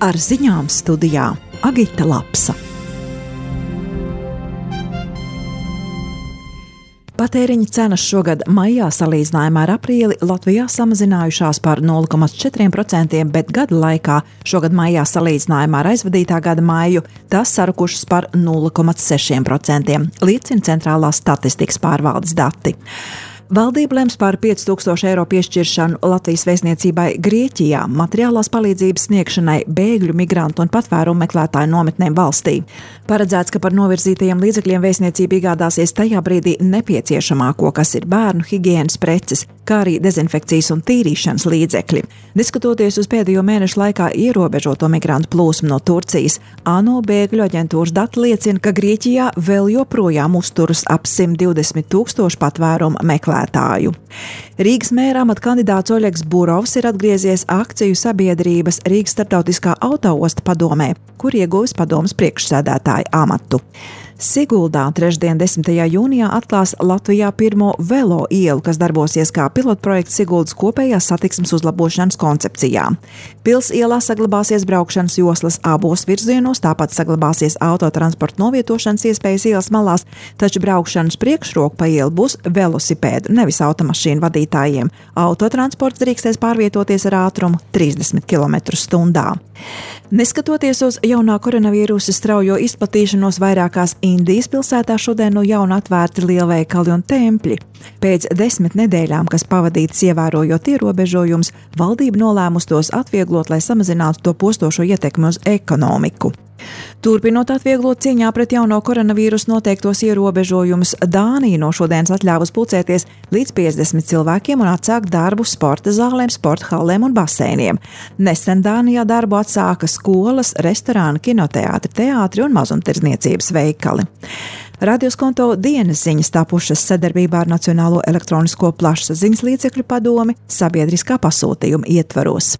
Ar ziņām studijā Agita Lapsa. Patēriņa cenas šogad maijā salīdzinājumā ar aprīli Latvijā samazinājušās par 0,4%, bet gada laikā šogad maijā salīdzinājumā ar aizvadītā gada maiju tās sarukušas par 0,6%, liecina Centrālās statistikas pārvaldes dati. Valdība lems par 5000 eiro piešķiršanu Latvijas vēstniecībai Grieķijā materiālās palīdzības sniegšanai bēgļu, migrantu un patvērumu meklētāju nometnēm valstī. Paredzēts, ka par novirzītajiem līdzekļiem vēstniecība iegādāsies tajā brīdī nepieciešamāko, kas ir bērnu higienas preces, kā arī dezinfekcijas un tīrīšanas līdzekļi. Diskutoties uz pēdējo mēnešu laikā ierobežoto migrantu plūsmu no Turcijas, ANO bēgļu aģentūras dati liecina, ka Grieķijā vēl joprojām uzturas ap 120 000 patvērumu meklētāju. Rīgas mēra amata kandidāts Oļegs Burovs ir atgriezies akciju sabiedrības Rīgas starptautiskā autoosta padomē, kur ieguvis padomes priekšsēdētāja amatu. Siguldā trešdien 10. jūnijā atklās Latvijā pirmo velo ielu, kas darbosies kā pilotprojekts Siguldas kopējās satiksmes uzlabošanas koncepcijā. Pils ielā saglabāsies braukšanas joslas abos virzienos, tāpat saglabāsies autotransporta novietošanas iespējas ielas malās, taču braukšanas priekšroka pa ielu būs velosipēdu, nevis automašīnu vadītājiem. Autotransports drīkstēs pārvietoties ar ātrumu 30 km/h. Neskatoties uz jaunā koronavīrusa straujo izplatīšanos, vairākās Indijas pilsētā šodien no jauna atvērti lielveikali un tempļi. Pēc 10 nedēļām, kas pavadītas ievērojot ierobežojumus, valdība nolēmusi tos atvieglot, lai samazinātu to postošo ietekmi uz ekonomiku. Turpinot atvieglot cīņā pret jauno koronavīrusu noteiktos ierobežojumus, Dānija no šodienas atļāvus pulcēties līdz 50 cilvēkiem un atsākt darbu sporta zālēm, sporta hallēm un baseiniem. Nesen Dānijā darbu atsāka skolas, restorāni, kinoteātri, teātri un mazumtirdzniecības veikali. Radioskonto dienas ziņas tapušas sadarbībā ar Nacionālo elektronisko plašsaziņas līdzekļu padomi sabiedriskā pasūtījuma ietvaros.